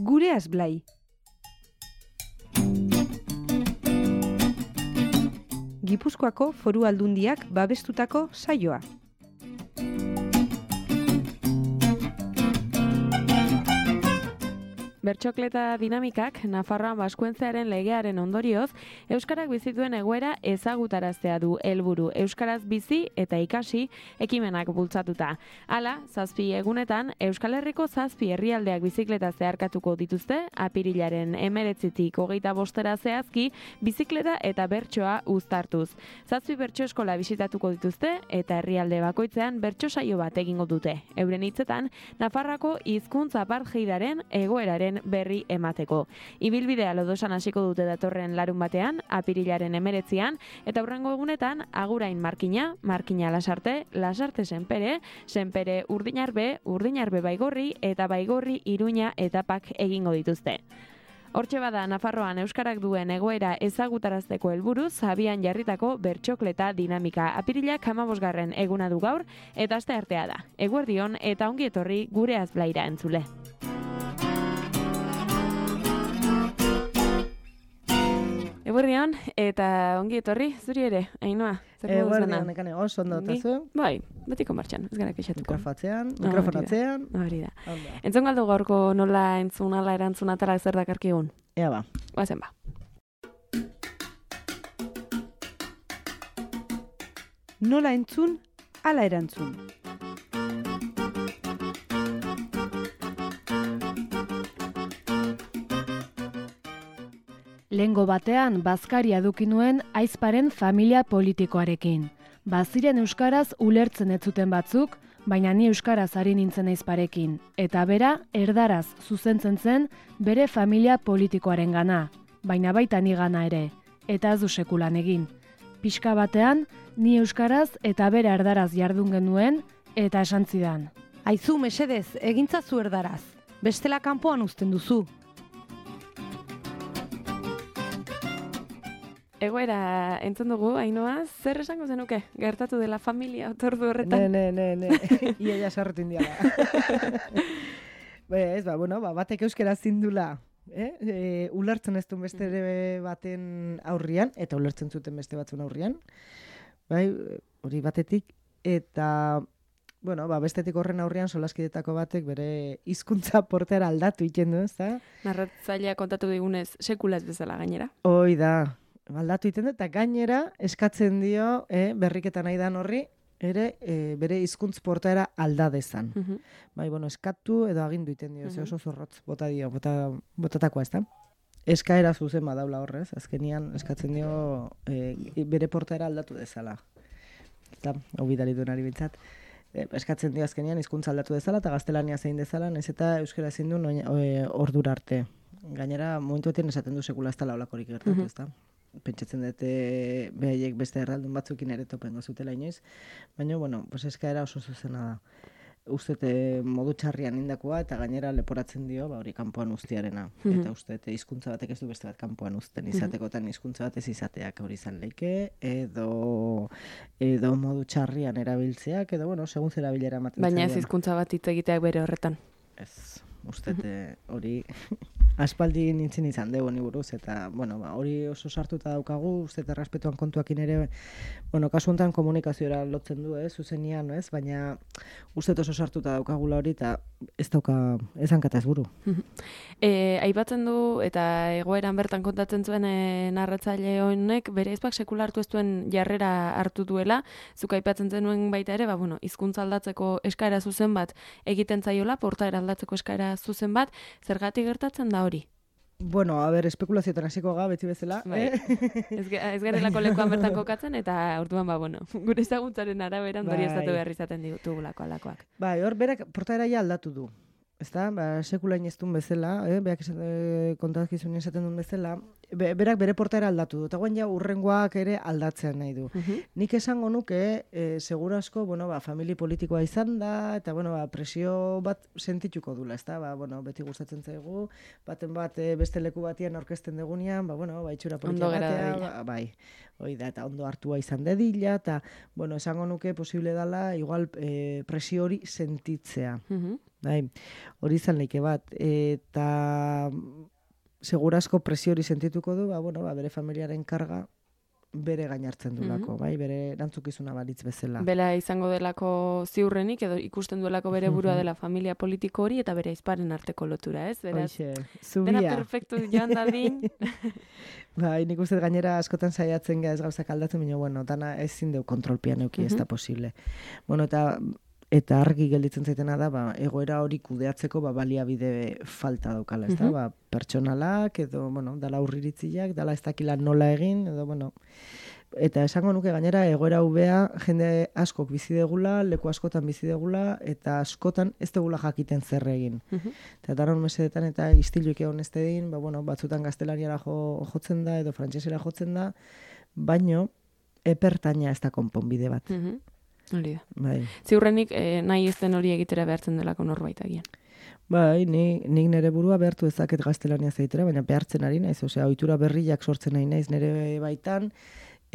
Gureaz Blai. Gipuzkoako Foru Aldundiak babestutako saioa. Bertsokleta dinamikak Nafarroan Baskuentzearen legearen ondorioz, euskarak bizituen egoera ezagutaraztea du helburu. Euskaraz bizi eta ikasi ekimenak bultzatuta. Hala, 7 egunetan Euskal Herriko 7 herrialdeak bizikleta zeharkatuko dituzte, apirilaren 19tik 25 zehazki bizikleta eta bertsoa uztartuz. 7 bertso eskola bisitatuko dituzte eta herrialde bakoitzean bertso saio bat egingo dute. Euren hitzetan, Nafarroako hizkuntza apartheidaren egoeraren berri emateko. Ibilbidea Lodosan hasiko dute datorren larun batean, apirilaren 19an, eta hurrengo egunetan Agurain Markina, Markina Lasarte, Lasarte Senpere, Senpere Urdinarbe, Urdinarbe Baigorri eta Baigorri Iruña etapak egingo dituzte. Hortxe bada Nafarroan euskarak duen egoera ezagutarazteko helburuz abian jarritako bertsokleta dinamika. Apirilak 15. eguna du gaur eta asteartea da. Eguerdion eta ongi etorri Gureaz Blaira entzule. Eguerdion eta ongi etorri zuri ere, Ainhoa. Eguerdion, nekane, oso ondo tazu. Bai, betiko martxan, ez gara kexatuko. Mikrofonatzean. Hori da. Entzun galdu gaurko nola entzun, ala erantzun atala zer dakarkigun? Ea ba. Guazen ba. Nola entzun, ala erantzun. Lehengo batean bazkaria eduki nuen aizparen familia politikoarekin. Baziren euskaraz ulertzen ez zuten batzuk, baina ni euskaraz ari nintzen aizparekin. Eta bera, erdaraz zuzentzen zen bere familia politikoarengana, baina baita ni gana ere, eta ez du sekulan egin. Pixka batean, ni euskaraz eta bere erdaraz jardun genuen, eta esan zidan. Aizu, mesedez, egintzazu erdaraz. Bestela kanpoan uzten duzu. Egoera entzun dugu, Ainhoa, zer esango zenuke? Gertatu dela familia otordu horretan? Ne. Ia sarretu indiala. Ez, batek euskera zindula. Ulertzen ez duen beste baten aurrian, eta ulertzen zuten beste batzun aurrian. Bai, hori batetik. Eta, bestetik horren aurrian solaskidetako batek bere hizkuntza portera aldatu iten du, ez da? Narratzailea kontatu digunez, sekulaz bezala gainera. Hoi da. Aldatu iten du, eta gainera eskatzen dio, berriketan nahi dan horri, ere bere hizkuntz portaera alda dezan. Bai, eskatu edo agindu iten dio, oso zorrotz bota dio, botatakoa, ez da? Eskaera zuzen badaula horrez, azkenian eskatzen dio bere portaera aldatu dezala. Eta, hau bidali duen ari bintzat. Eskatzen dio azkenian hizkuntza aldatu dezala, eta gaztelania zein dezala, nahiz eta euskara zein du ordura arte. Gainera, momentuetan esaten du sekula ez dela olakorik gertatu, ez da? Pentsatzen dute behaiek beste erraldun batzukin ere topengo zutela inoiz, baina, eskaera oso zuzena da. Ustete modu txarrian indakoa eta gainera leporatzen dio, hori kanpoan uztiarena. Eta ustete hizkuntza batek ez du beste bat kanpoan uzten izatekotan hizkuntza bat ez izateak hori izan leike, edo modu txarrian erabiltzeak, edo, segun zera bilera ematen. Baina ez hizkuntza bat hitz egiteak bere horretan. Ez, ustete hori aspaldi nintzen izan dugu ni buruz, eta, hori oso sartuta daukagu, ustete errespetuan kontuakin ere, kasu honetan komunikaziora lotzen du, zuzenian, baina ustete oso sartuta daukagula hori, eta ez dauka, ez hankata ez buru. Aipatzen du, eta egoeran bertan kontatzen zuen narratzaile honek, bere izpak sekulartu ez duen jarrera hartu duela, zuk aipatzen zenuen baita ere, hizkuntza aldatzeko eskaera zuzen bat egiten zaiola, portaera aldatzeko eskaera zuzen bat, zergatik gertatzen da hori? Espekulazioetan hasiko ga, beti bezala. Bai. Ez garelako lekuan bertan kokatzen, eta orduan, gure ezaguntzaren araberan dorioztatu behar izaten ditugulako alakoak. Bai, hor, berak portaera ja aldatu du. Ez da, sekulain ez duen bezala, beak kontakizun esaten duen bezala, berak bere portaera aldatu du, eta guen ja urrengoak ere aldatzen nahi du. Nik esango nuke, segura asko, famili politikoa izan da, eta presio bat sentituko dula, ez da, beti gustatzen zaigu, baten bat beste leku batian aurkezten degunean, itxura politika batea, bai, hoi da, eta ondo hartua izan dedila, eta, esango nuke posible dela, igual presio hori sentitzea. Bai, hori izan leike bat, eta segurasko presio hori sentituko du, bere familiaren karga bere gainartzen dulako, bai, bere erantzukizuna balitz bezala. Bela izango delako ziurrenik, edo ikusten duelako bere burua dela familia politiko hori, eta bere aizparen arteko lotura, ez? Beraz, dena perfektu joan dadin. Bai, nik uste gainera askotan saiatzen ez gauzak aldatzen, baina, dana ezin deu kontrolpian euki, ez da posible. Eta argi gelditzen zaitena da, egoera hori kudeatzeko baliabide falta daukala, ez da, pertsonalak, edo, dala urriritziak, dala ez dakila nola egin, edo, eta esango nuke gainera egoera ubea jende askok bizi degula, leku askotan bizi degula, eta askotan ez degula jakiten zer egin. Eta daron mesedetan eta istiluik egon ez dedin, batzutan gaztelaniara jotzen da, edo frantsesera jotzen da, baino, epertaina ez da konponbide bat. Hori da. Bai. Ziurrenik nahi ez den hori egitera behartzen delako norbait agian. Bai, nik nire burua behartu ezaket gaztelania zaitera, baina behartzen ari naiz, ohitura berriak sortzen nahi naiz nire baitan,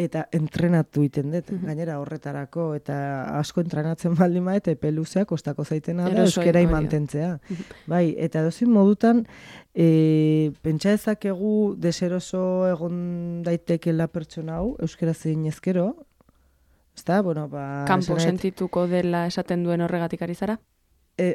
eta entrenatu iten dut, gainera horretarako, eta asko entrenatzen baldin maete, peluzea kostako zaitena da, euskera mantentzea. Bai, eta dozin modutan, pentsa ezakegu deseroso egon daitekela pertsona hau, euskera zein ezkero, kanpo sentituko dela esaten duen horregatik ari zara?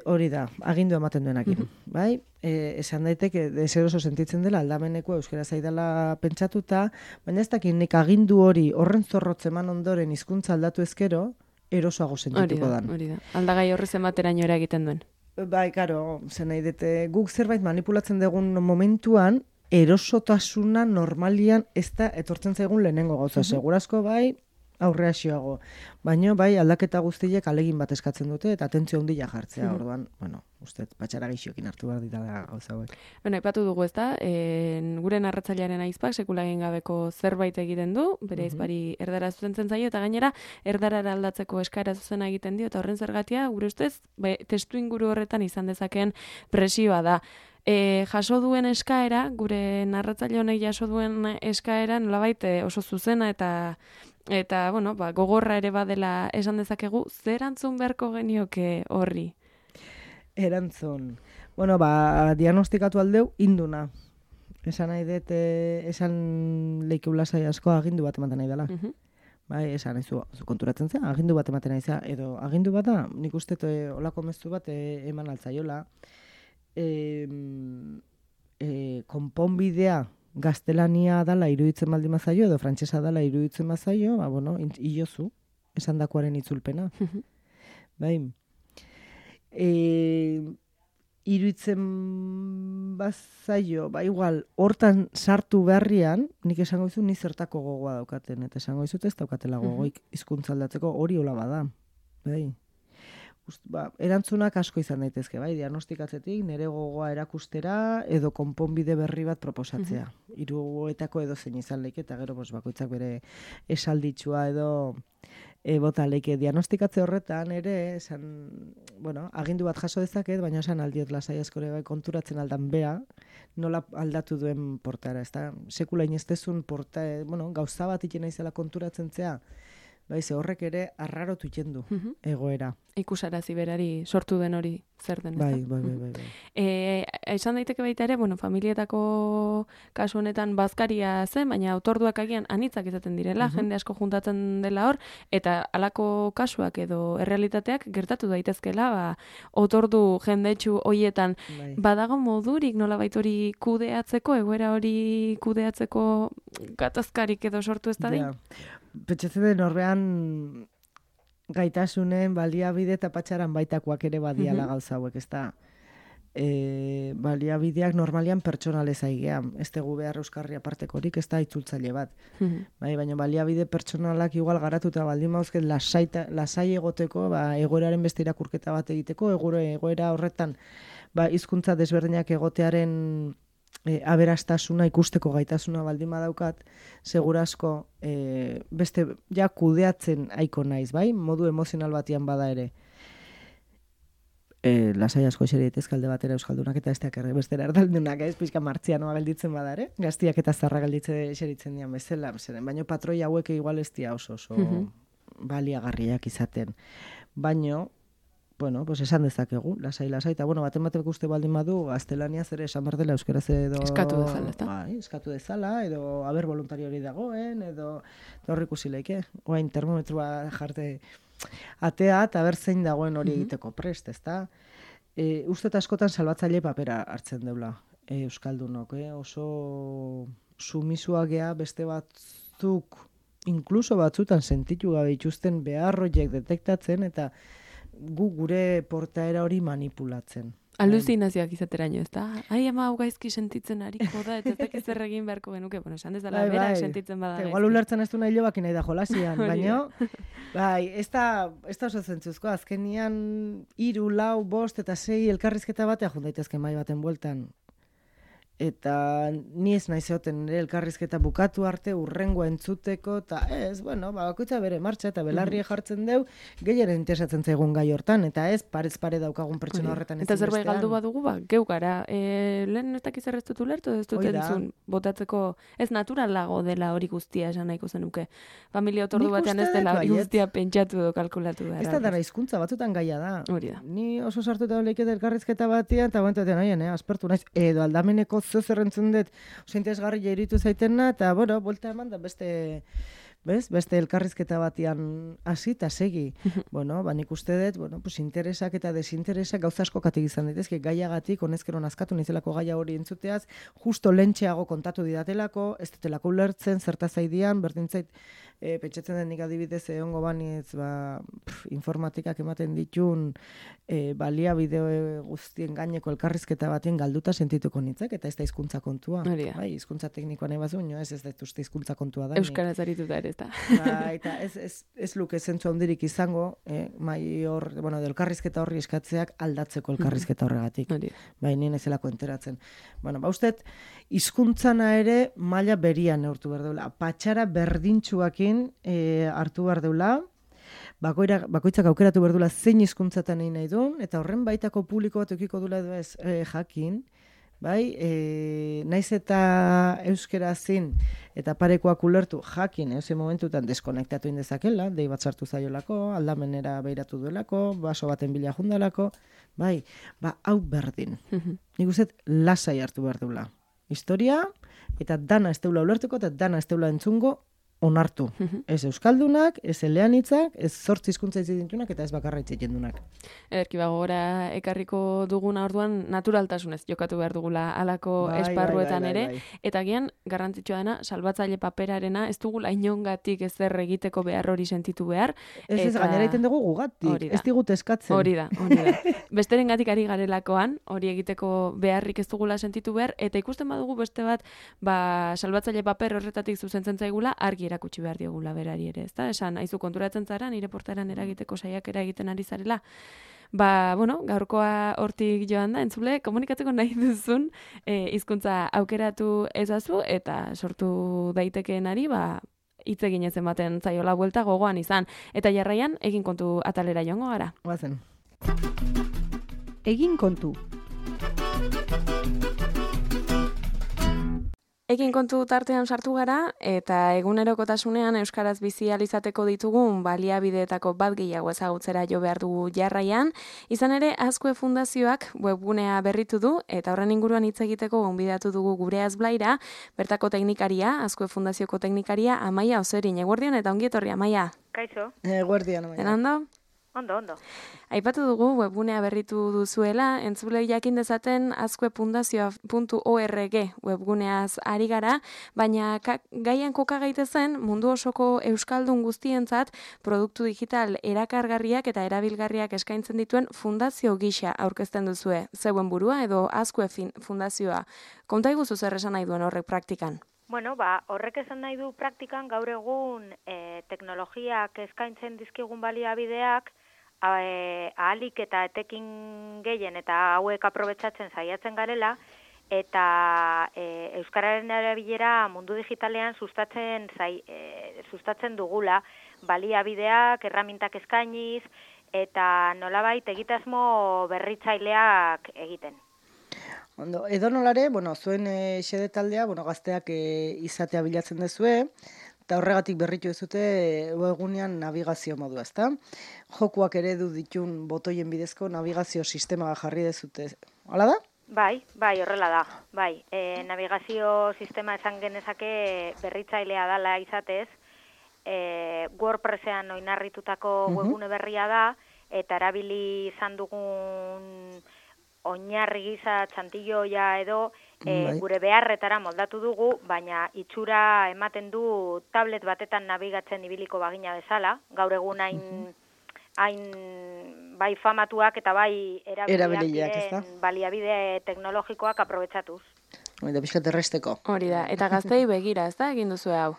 Hori da, agindu ematen duenakin. Bai? Esan daiteke, deseroso sentitzen dela, aldameneko euskera zaidala pentsatuta, baina ez dakit nik agindu hori horren zorrotzeman ondoren hizkuntza aldatu ezkero, erosoago sentituko dan. Hori da, aldagai horrez emateraino ere egiten duen. Bai, karo, zen nahi dute, guk zerbait manipulatzen dugun momentuan, erosotasuna normalian ez da etortzen zaigun lehenengo gauza. Segurazko bai, aurreaxioago. Baina bai aldaketa guztiek alegin bat eskatzen dute eta atentzio handia jartzea. Orduan, uste patxara gixokin hartu behar ditala gauza hauek. Aipatu dugu ez da, gure narratzailearen aizpak sekula egin gabeko zerbait egiten du, bere aizpari erdara zuzentzen zaio, eta gainera erdarara aldatzeko eskaera zuzena egiten dio, eta horren zergatia, gure ustez, testu inguru horretan izan dezakeen presioa da. Jaso duen eskaera, gure narratzaile honek jaso duen eskaera, nolabait oso zuzena eta gogorra ere badela esan dezakegu, zer erantzun beharko genioke horri? Erantzun. Diagnostikatu aldeu induna. Esan nahi dut, esan leikeula zai asko agindu bat ematen nahi dela. Bai, esan nahi zu konturatzen zen, agindu bat ematen nahi zen, edo agindu bat da, nik uste olako mezu bat eman altzaiola. Konponbidea gaztelania dala iruditzen baldin mazaio, edo frantsesa dala iruditzen mazaio, iozu, esan dakoaren itzulpena. Bai. Iruditzen bazaio, igual, hortan sartu beharrian, nik esango izu ni zertako gogoa daukaten, eta esango izut ez daukatela gogoik hizkuntza aldatzeko hori hola bada. Bai. Erantzunak asko izan daitezke, bai, diagnostikatzetik, nire gogoa erakustera, edo konponbide berri bat proposatzea. Hiruetako edo zein izan leike, eta gero bakoitzak bere esalditxua edo bota leike. Diagnostikatze horretan ere, agindu bat jaso dezaket, baina esan aldiot lasai askore bai konturatzen aldan bea, nola aldatu duen portara, ez da? Sekula inestezun gauza bat ikena izela konturatzen zea, bai, ze horrek ere arrarotu iten du egoera. Ikusarazi berari sortu den hori zer den, ez da? Bai. Esan daiteke baita ere, familietako kasu honetan bazkaria zen, baina otorduak agian anitzak izaten direla, jende asko juntatzen dela hor, eta halako kasuak edo errealitateak gertatu daitezkela, otordu jendetsu hoietan. Badago modurik nolabait hori kudeatzeko, egoera hori kudeatzeko gatazkarik edo sortu ez da din? Pentsatzen den horrean gaitasunen baliabide eta patxaran baitakoak ere badiala gauza hauek, ez da? Baliabideak normalian pertsonalez aigea, ez dugu behar euskarri apartekorik, ez da itzultzaile bat. Baina baliabide pertsonalak igual garatuta baldin mauzket lasai egoteko, egoeraren beste irakurketa bat egiteko, egoera horretan hizkuntza desberdinak egotearen aberastasuna ikusteko gaitasuna baldin badaukat, segurazko beste ja kudeatzen aiko naiz, bai? Modu emozional batian bada ere. Lasai asko eseri daitezke alde batera euskaldunak eta besteak bestera erdaldunak, pixka martzianoa gelditzen bada ere. Gaztiak eta zarra gelditzen eseritzen dian bezala, baina patroi hauek igual ez dira oso baliagarriak izaten. Baino, bueno, pues esan dezakegu, lasai, eta bueno, batek uste baldin badu, gaztelaniaz ere esan behar dela euskaraz edo... Eskatu dezala, eta? Bai, eskatu dezala, edo haber voluntario hori dagoen, edo horrik usileike. Oain termometroa jarte atea, eta ber zein dagoen hori egiteko prest, ezta? Uste eta askotan salbatzaile papera hartzen deula euskaldunok, oso sumisuak gea beste batzuk, inkluso batzutan sentitu gabe ituzten beharroiek detektatzen, eta gure portaera hori manipulatzen. Aluzinazioak izateraino, ez da? Ai, ama hau gaizki sentitzen hariko da, eta ez dakiz zer egin beharko genuke, bueno, esan dezala berak sentitzen bada gaizki. Igual ulertzen ez du nahi lobak nahi da jolasian, baina, bai, ez da oso zentzuzko, azkenian 3, 4, 5 eta 6 elkarrizketa batea jundaitezke mai baten bueltan. Eta ni ez nahi zeoten nire elkarrizketa bukatu arte urrengoa entzuteko, eta bueno, bakoitza bere martxa eta belarri jartzen deu, gehiaren interesatzen zaigun gai hortan, eta ez parez pare daukagun pertsona horretan ez eta zerbait galdu badugu, geu gara, lehen ez dakiz errez dut ulertu, ez dut entzun, botatzeko, ez naturalago dela hori guztia esan nahiko zenuke. Familia otordu batean ez dela hori guztia pentsatu edo kalkulatu da. Ez da dara hizkuntza batzutan gaia da. Hori da. Ni oso sartuta leiketa elkarrizketa batean, eta guantatean haien, aspertu naiz, edo aldameneko zerrentzun dut, oso interesgarri jairitu zaitena, eta, bueno, bolta eman da beste elkarrizketa batian hasi eta segi. Bueno, nik uste dut, bueno, pues interesak eta desinteresak gauza asko katik izan daitezke, gaiagatik, honezkero nazkatu nizelako gaia hori entzuteaz, justo lentxeago kontatu didatelako, ez dutelako ulertzen, zertaz zaidian, berdintzait, pentsatzen den nik adibidez egongo baniz, informatikak ematen ditun baliabide guztien gaineko elkarrizketa batien galduta sentituko nintzek, eta ez da hizkuntza kontua. Bai, hizkuntza teknikoa nahi bazu, ez da uste hizkuntza kontua da. Euskaraz arituta ere, eta. Eta ez luke zentzu handirik izango, elkarrizketa horri eskatzeak aldatzeko elkarrizketa horregatik. Bai, nien ezelako enteratzen. Bueno, ustet, hizkuntzana ere maila berian neurtu behar deula. Patxara berdintxuakin hartu behar deula, bakoitzak aukeratu behar deula zein hizkuntzatan nahi duen, eta horren baitako publiko bat eukiko dula edo ez jakin, bai, naiz eta euskera zin eta parekoak ulertu jakin, momentutan deskonektatu indezakela, dei bat sartu zaiolako, aldamenera behiratu duelako, baso baten bila jundalako, bai, hau berdin. Nik uste lasai hartu behar deula. Historia, eta dana ez deula ulertuko, eta dana ez deula entzungo, onartu. Ez euskaldunak, ez eleanitzak, ez 8 hizkuntza dituztenak eta ez bakarra hitz egitendunak. Ederki gora ekarriko duguna orduan naturaltasunez jokatu behar dugula halako esparruetan ere, eta gian garrantzitsua dena salbatzaile paperarena ez dugula inongatik ezer egiteko behar hori sentitu behar. Ez gainera egiten dugu gugatik, ez digut eskatzen. Hori da. Besterengatik ari garelakoan, hori egiteko beharrik ez dugula sentitu behar, eta ikusten badugu beste bat, salbatzaile paper horretatik zuzentzen zaigula, argi erakutsi behar diogula berari ere, ezta? Esan, aizu konturatzen zara, nire portaeran eragiteko saiakera egiten ari zarela. Gaurkoa hortik joan da, entzule, komunikatzeko nahi duzun hizkuntza aukeratu ezazu eta sortu daitekeenari, hitz egin ezen baten zaiola buelta gogoan izan. Eta jarraian, egin kontu atalera joango gara. Guazen. Egin kontu. Egin kontu tartean sartu gara, eta egunerokotasunean euskaraz bizi ahal izateko ditugun baliabideetako bat gehiago ezagutzera jo behar dugu jarraian. Izan ere, Azkue Fundazioak webgunea berritu du, eta horren inguruan hitz egiteko gonbidatu dugu gure Azblaira, bertako teknikaria, Azkue Fundazioko teknikaria, Amaia Ozerin. Eguerdion eta ongi etorri, Amaia. Kaixo. Eguerdion, Amaia. Ondo? Ondo. Aipatu dugu webgunea berritu duzuela, entzulei jakin dezaten azkuefundazioa.org webguneaz ari gara, baina gaian koka gaitezen mundu osoko euskaldun guztientzat produktu digital erakargarriak eta erabilgarriak eskaintzen dituen fundazio gisa aurkezten duzue. Zeuen burua edo Azkue Fundazioa. Konta iguzu zer esan nahi duen horrek praktikan? Bueno, horrek esan nahi du praktikan gaur egun teknologiak eskaintzen dizkigun baliabideak ahalik eta etekin gehien eta hauek aprobetxatzen saiatzen garela, eta euskararen erabilera mundu digitalean sustatzen dugula, baliabideak, erramintak eskainiz, eta nolabait egitasmo berritzaileak egiten. Ondo, edonolare, zuen xede taldea, gazteak izatea bilatzen dezue, eta horregatik berritu ezute webgunean navigazio modua, ezta? Jokuak eredu ditun botoien bidezko navigazio sistema jarri dezute. Hala da? Bai, horrela da. Bai, navigazio sistema esan genezake berritzailea dela izatez, WordPressean oinarritutako webgune berria da, eta erabili izan dugun oinarri gisa txantilloia edo gure beharretara moldatu dugu, baina itxura ematen du tablet batetan nabigatzen ibiliko bagina bezala, gaur egun hain bai famatuak eta bai erabiliak baliabide teknologikoak aprobetxatuz. Eta pixkat erresteko. Hori da, eta gaztei begira, ez da, egin duzu hau?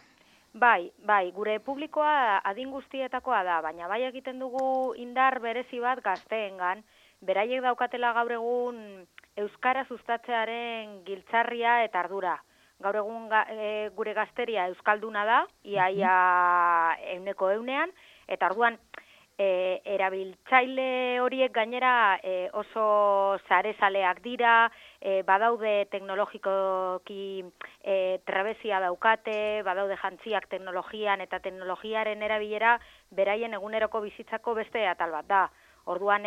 Bai, gure publikoa adin guztietakoa da, baina bai egiten dugu indar berezi bat gazteengan, beraiek daukatela gaur egun euskara sustatzearen giltzarria eta ardura. Gaur egun gure gazteria euskalduna da, iaia 100%, eta orduan erabiltzaile horiek gainera oso sarezaleak dira, badaude teknologikoki trebezia daukate, badaude jantziak teknologian eta teknologiaren erabilera beraien eguneroko bizitzako beste atal bat da. Orduan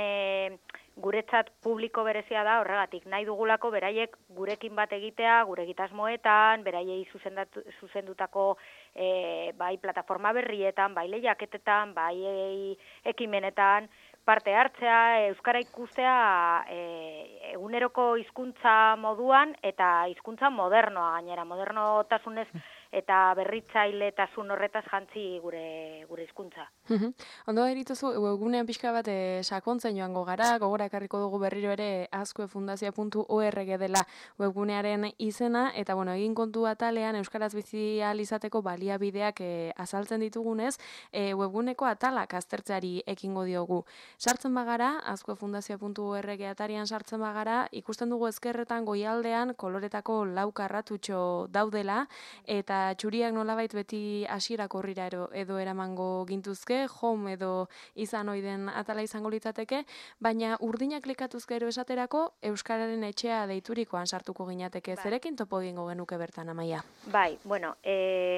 guretzat publiko berezia da horregatik, nahi dugulako beraiek gurekin bat egitea, gure egitasmoetan, beraiei zuzendutako bai plataforma berrietan, bai lehiaketetan, bai ekimenetan, parte hartzea, euskara ikustea eguneroko hizkuntza moduan eta hizkuntza modernoa gainera, modernotasunez eta berritzailetasun horretaz jantzi gure hizkuntza. Ondo erituzu, webgunean pixka bat sakontzen joango gara, gogora ekarriko dugu berriro ere azkuefundazioa.org dela webgunearen izena, eta egin kontu atalean euskaraz bizi ahal izateko baliabideak azaltzen ditugunez, webguneko atalak aztertzeari ekingo diogu. Sartzen bagara, azkuefundazioa.org atarian sartzen bagara, ikusten dugu ezkerretan goialdean koloretako lau karratutxo daudela, eta txuriak nolabait beti hasierak horrira edo eramango gintuzke, home edo izan oiden atala izango litzateke, baina urdinak klikatuz gero esaterako euskararen etxea deiturikoan sartuko ginateke. Zerekin topo egingo genuke bertan, Amaia? Bai,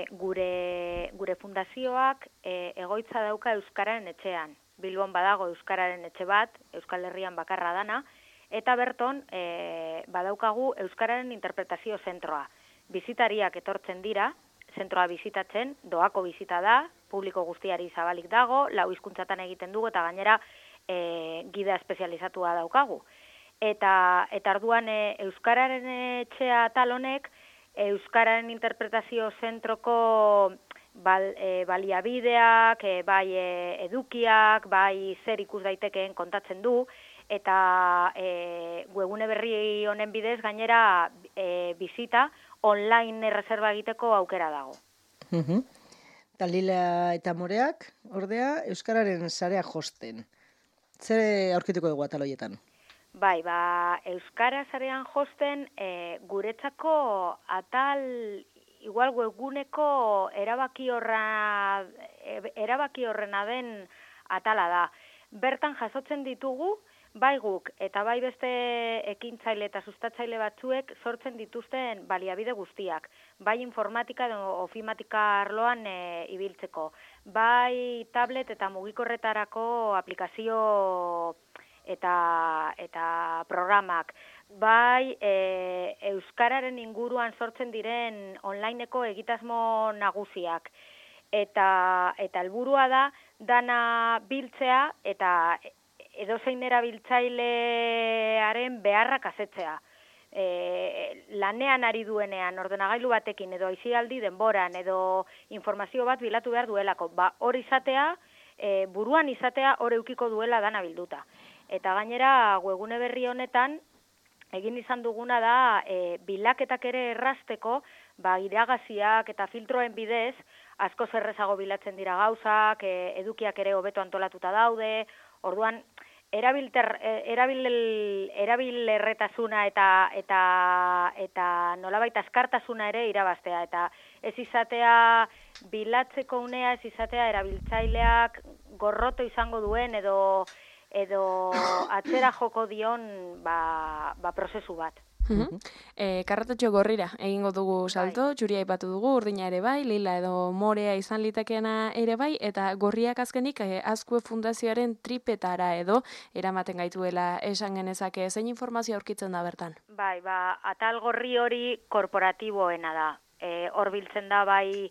gure fundazioak egoitza dauka euskararen etxean. Bilbon badago euskararen etxe bat, Euskal Herrian bakarra dana, eta berton badaukagu euskararen interpretazio zentroa. Bizitariak etortzen dira, zentroa bizitatzen, doako bizita da, publiko guztiari zabalik dago, 4 hizkuntzatan egiten dugu eta gainera gida espezializatua daukagu. Eta orduan euskararen etxea atal honek, euskararen interpretazio zentroko baliabideak, bai edukiak, bai zer ikus daitekeen kontatzen du, eta webgune berri honen bidez gainera bizita online erreserba egiteko aukera dago. Lila eta Moreak, ordea, euskararen sarea josten. Zer aurkituko dugu atal horietan? Bai, euskara sarean josten guretzako atal igual webguneko erabaki horrena den atala da. Bertan jasotzen ditugu, bai guk eta bai beste ekintzaile eta sustatzaile batzuek sortzen dituzten baliabide guztiak. Bai informatika edo ofimatika arloan ibiltzeko. Bai tablet eta mugikorretarako aplikazio eta programak. Bai euskararen inguruan sortzen diren onlineko egitasmo nagusiak. Eta helburua da dana biltzea eta edozein erabiltzailearen beharrak asetzea. Lanean ari duenean, ordenagailu batekin edo aisialdi denboran edo informazio bat bilatu behar duelako. Hor izatea, buruan izatea hor eukiko duela dana bilduta. Eta gainera, webgune berri honetan, egin izan duguna da, bilaketak ere errazteko, iragaziak eta filtroen bidez, asko zerrezago bilatzen dira gauzak, edukiak ere hobeto antolatuta daude, orduan, erabilerretasuna eta nolabait askartasuna ere irabaztea, eta ez izatea bilatzeko unea, ez izatea erabiltzaileak gorroto izango duen edo atzera joko dion prozesu bat. Karratatxo gorrira egingo dugu salto, txuria aipatu dugu, urdina ere bai, lila edo morea izan litekeena ere bai, eta gorriak azkenik Azkue Fundazioaren tripetara edo eramaten gaituela esan genezake, zein informazio aurkitzen da bertan? Bai, atal gorri hori korporatiboena da. Hor biltzen da bai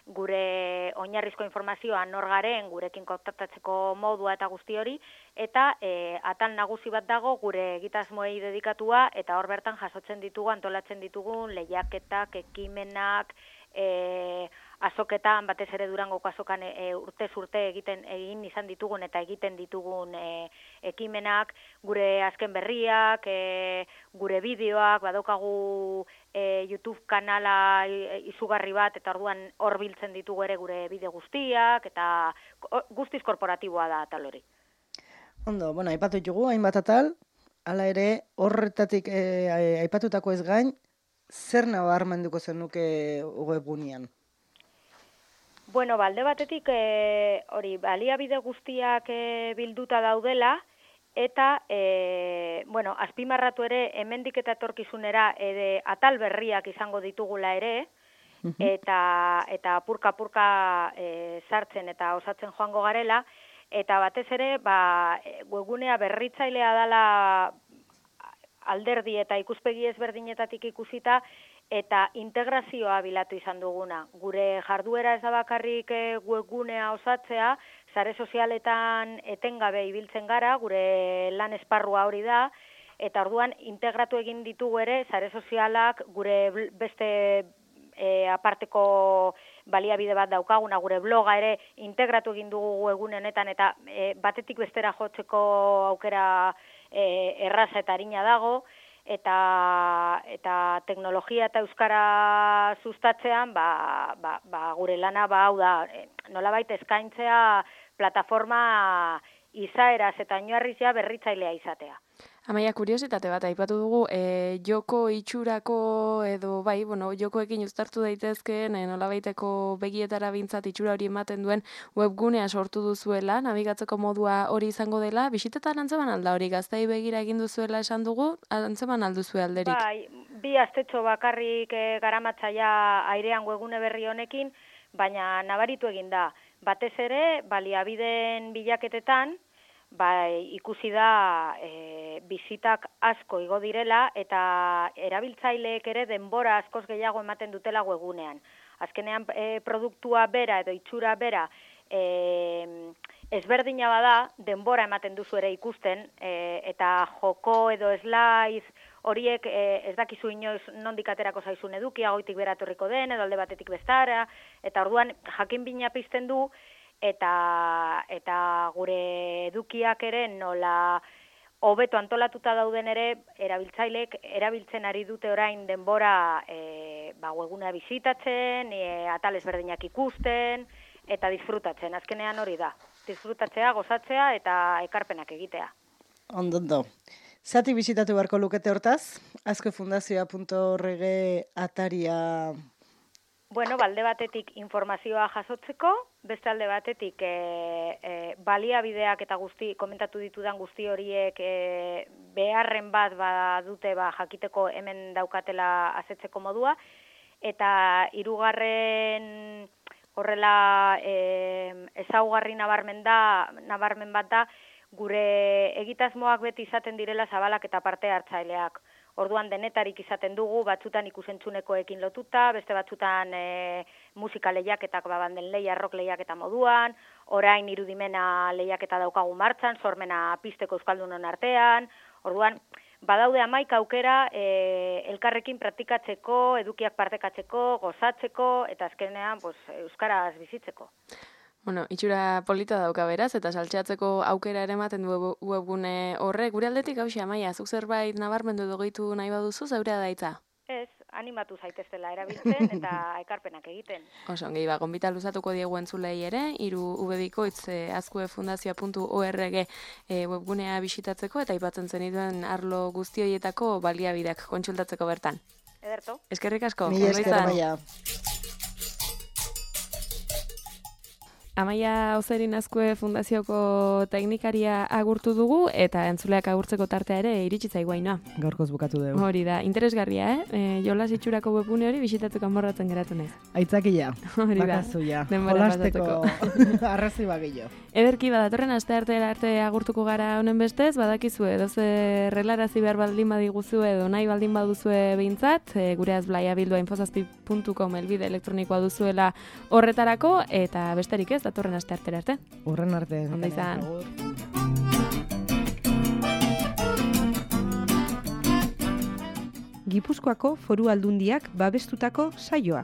gure oinarrizko informazioa nor garen, gurekin kontaktatzeko modua eta guzti hori, eta atal nagusi bat dago gure egitasmoei dedikatua, eta hor bertan jasotzen ditugu, antolatzen ditugun lehiaketak, ekimenak, azoketan, batez ere Durangoko azokan urtez urte egin izan ditugun eta egiten ditugun ekimenak, gure azken berriak, gure bideoak, badaukagu YouTube kanala izugarri bat, eta orduan hor biltzen ditugu ere gure bideo guztiak, eta guztiz korporatiboa da atal hori. Ondo, bueno, aipatu ditugu, hainbat atal, hala ere, horretatik aipatutako ez gain, zer nabarmenduko zenuke webgunean? Bueno, alde batetik hori baliabide guztiak bilduta daudela, eta azpimarratu ere hemendik eta etorkizunera atal berriak izango ditugula ere, eta apurka sartzen eta osatzen joango garela, eta batez ere webgunea berritzailea dela alderdi eta ikuspegi ezberdinetatik ikusita, eta integrazioa bilatu izan duguna. Gure jarduera ez da bakarrik webgunea osatzea, sare sozialetan etengabe ibiltzen gara, gure lan esparrua hori da, eta orduan integratu egin ditugu ere sare sozialak gure beste aparteko baliabide bat daukaguna, gure bloga ere integratu egin dugu webgune honetan, eta batetik bestera jotzeko aukera erraza eta arina dago, eta teknologia eta euskara sustatzean gure lana hau da, nolabait eskaintzea plataforma izaeraz eta oinarrizia berritzailea izatea. Amaia, kuriositate bat aipatu dugu, joko itxurako edo jokoekin uztartu daitezkeen nolabaiteko begietara bintzat itxura hori ematen duen webgunea sortu duzuela, nabigatzeko modua hori izango dela, bisitetan antzeman alda hori, gaztei begira egin duzuela esan dugu, antzeman alduzue alderik? Bai, 2 astetxo bakarrik garamatzaia airean webgune berri honekin, baina nabaritu egin da. Batez ere, baliabideen bilaketetan, ikusi da bizitak asko igo direla, eta erabiltzaileek ere denbora askoz gehiago ematen dutela webgunean. Azkenean produktua bera edo itxura bera ezberdina bada, denbora ematen duzu ere ikusten, eta joko edo slides horiek ez dakizu inoiz nondik aterako zaizun edukia, goitik bera etorriko den, edo alde batetik bestara, eta orduan jakin bina pizten du, eta gure edukiak ere nola hobeto antolatuta dauden ere erabiltzaileek erabiltzen ari dute orain denbora webgunea bisitatzen, atal ezberdinak ikusten eta disfrutatzen. Azkenean hori da. Disfrutatzea, gozatzea eta ekarpenak egitea. Ondo. Zati bisitatu beharko lukete hortaz? azkuefundazioa.org ataria. Bueno, alde batetik informazioa jasotzeko, beste alde batetik baliabideak eta komentatu ditudan guzti horiek beharren bat badute jakiteko hemen daukatela azetzeko modua, eta 3. horrela ezaugarri nabarmen bat da, gure egitasmoak beti izaten direla zabalak eta parte hartzaileak. Orduan denetarik izaten dugu, batzutan ikusentzuneko lotuta, beste batzutan musika lehiaketak banden lehia, rock lehiaketa moduan, orain irudimena lehiaketa daukagu martxan, sormena pizteko euskaldunon artean. Orduan, badaude 11 aukera elkarrekin praktikatzeko, edukiak partekatzeko, gozatzeko, eta azkenean euskaraz bizitzeko. Bueno, itxura polita dauka beraz, eta saltxeatzeko aukera ere ematen du webgune horrek. Gure aldetik hausia, Amaia, zuk zerbait nabarmendu edo gehitu nahi baduzu, zeurea daitza? Ez, animatu zaiteztela erabiltzen eta ekarpenak egiten. Oso, ongi, gonbita luzatuko diegu entzulei ere, 3wbikoitz azkuefundazioa.org webgunea bisitatzeko eta aipatzen zenituen arlo guztioietako baliabideak kontsultatzeko bertan. Ederto. Eskerrik asko. Mila esker, Amaia. Amaia Ozerin Azkue Fundazioko teknikaria agurtu dugu eta entzuleak agurtzeko tartea ere iritsi zaiguaina. Gaurkoz bukatu dugu. Hori da, interesgarria, Jolas itxurako webgune hori bisitatuko amorratzen geratu naiz. Aitzakila, Hori da. bakazuia, Denbora jolasteko arrazoi bagillo. Ederki badatorren asteartera arte agurtuko gara honen bestez, badakizu edoze relarazi behar baldin badiguzu edo nahi baldin baduzue behintzat, gure azblaiabildua.infozazpi.com elbide elektronikoa duzuela horretarako, eta besterik ez, datorren asteartera arte. Urren arte. Ondo izan. Gipuzkoako Foru Aldundiak babestutako saioa.